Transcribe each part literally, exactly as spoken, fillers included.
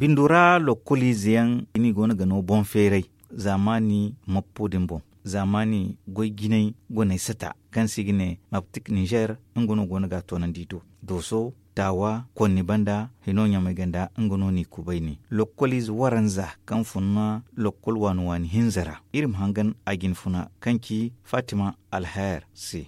Bindo ra lokoliize yaŋ i ni go no ga no boŋ feeray zaamaani mappo din boŋ. Zaamaani goy jinay goney sata kaŋ se i ga ne maptik nizer, nga no go no ga a toonandi do dooso, taawa, konni banda hino ɲamay ganda nga no n'i kubay ne lokoliize waranza kaŋ fun na lokol waani waani hinza ra. Iri ma hangan a jine funa kaŋ ci fatima alher se.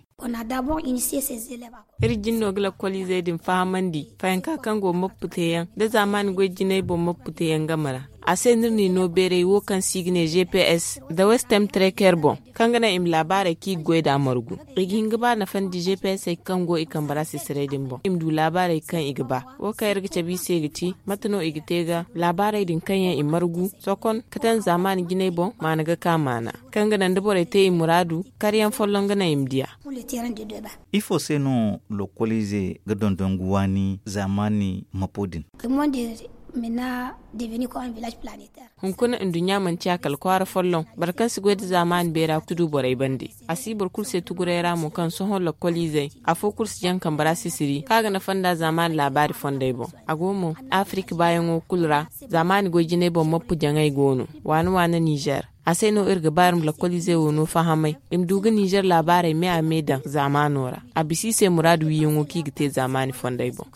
Iri jin no ga lakkoliizey din fahamandi fayanka kaŋ go mappu teeyaŋ da zaamaani goy jinay boŋ mappu teeyaŋ game ra. A se no iri n'i no beeray wo kaŋ se i ga ne gps da westem treker boŋ, kaŋ ga naŋ i ma laabaarey kaŋ i ga goy nd'a margu. I ga hin ga ba nafandi gps kaŋ go i kambe ra sisiray din boŋ i ma du laabaarey kaŋ i ga ba. Wo kaŋ iri ga cabe i se ga ti mate no i ga te ga laabaarey din kaŋ yaŋ i margu sokon ka taŋ zaamaani jinay boŋ maana ga ka maana, kaŋ ga naŋ da borey te i muraadu karyaŋ folloŋ ga naŋ i ma diya. Ifo se no lokoliize ga dondon ga waani zaamaani mapo din? Hunkuna nduɲɲa manti a kala kwaara folloŋ boro kaŋ si goy nda zaamaani beera ga tudu borey bande. A si boro kulu se tuguray ra mo kaŋ sohõ lokoliizey afo kulu si jaŋ kambe ra sisiri kaŋ a ga nafa nda zaamaani laabaari fondey boŋ. A go mo afirik baayaŋo kulu ra zaamaani goy jinay boŋ mappu jaŋay go no waane waane nizer. A se no iri ga ba iri ma lakkoliizey wo no fahamay i ma du ga nizer laabaarey me a me daŋ zaamaano ra. A bisa i se muraadu wiiyaŋo kaŋ i ga te zaamaani fondey boŋ.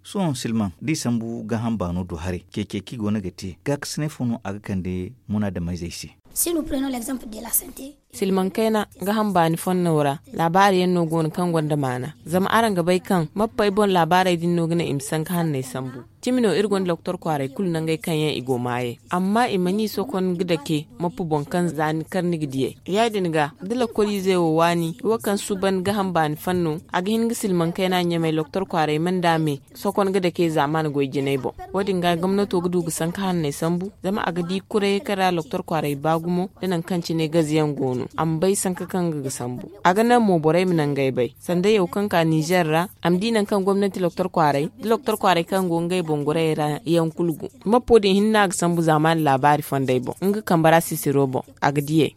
Sohõ silmaŋ da i sambu gaaham baano do haray ceece kaŋ i go no ga te gaakasinay fo no a ga kande munaadameyzey se? Silmaŋ kayna gaaham baani fonno ra laabaari yaŋ no go no kaŋ gonda maana zama araŋ ga bay kaŋ mappey boŋ laabaarey din no ga naŋ i ma sanka hanney sambu. Cimi no iri gonda loktor kwaaray kulu nangey kaŋ yaŋ i go maayey amma i mana i sokon ga dake mappu boŋ kaŋ za ni kar ni ga diyey. Ya- din ga da lakkoliizey wo waani wo kaŋ suuban gaaham baani fanno a ga hin ga silmaŋ kayna ɲamey loktor kwaaray mana da me sokon ga dake zaamaani goy jinay boŋ. Wo- din ga gomnato ga du ga sanka hanney sambu zama a ga di kuray kaŋ ra loktor kwaaray ba gumo da nangu kaŋ cine gaze yaŋ go no a ma bay sanka kaŋ ga ga sambu. A ga naŋ mo borey ma nangey bay sanda yaw kaŋ ka nizer ra a ma di nangu kaŋ gomnati loktor kwaaray da loktor kwaaray kaŋ go ngey boŋ gorayey ra yaŋ kulu go. Mappo din hinne a ga sambu zaamaani laabaari fondey boŋ nga kambe ra sisiro boŋ a ga diyey.